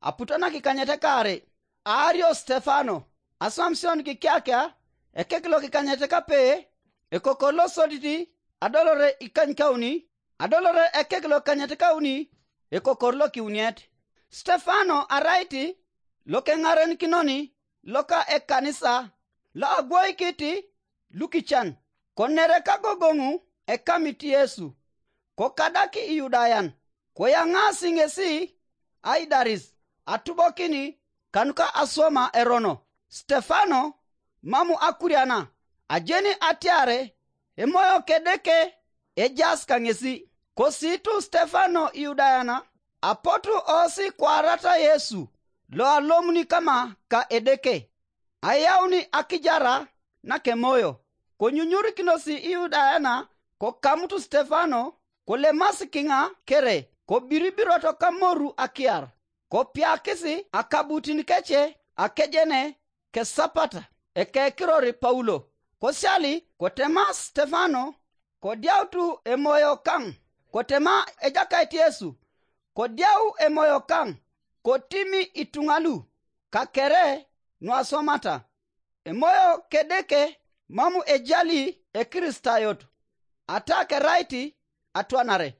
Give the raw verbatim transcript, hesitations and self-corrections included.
aputo nakikanyet kaarei. Aario Stefano, aswam Sion kikiakia, ekek lokikanyet kape, ekokor losodit, adolore ikanykauni, adolore ekek lokikanyet kauni, ekokor lokiuniet. Stefano arait lokeŋarenikinono loka ekanisa, loagwoikit lukican, konere kagogoŋu ekamit Yesu, kokadak Iyudayan, koyaŋaasi ŋesi aidaris atubokin kanuka aswama erono. Stefano mam akuriana, ajeni atiare Emoyo Kedeke ejaas kaŋesi. Kosiitu Stefano Iyudayan, apotu oosi kwaarata Yesu loalomuni kama ka Edeke, ayauni akijara nakemoyo. Konyunyurikinos Iyudayan kokamutu Stefano, kolemasi kiŋa kere, kobiribiroto kamoru akiar, kopiakis akabutin kece akejene kesapata ekekiror Paulo. Kosiali kotema Stefano, kodiautu Emoyo kaŋ, kotema Ejakait Yesu, kodiau Emoyo kaŋ, kotimi ituŋa lu, kakere nuaswamata. Emoyo Kedeke mam ejali Ekristayot, ata kerait atwanare.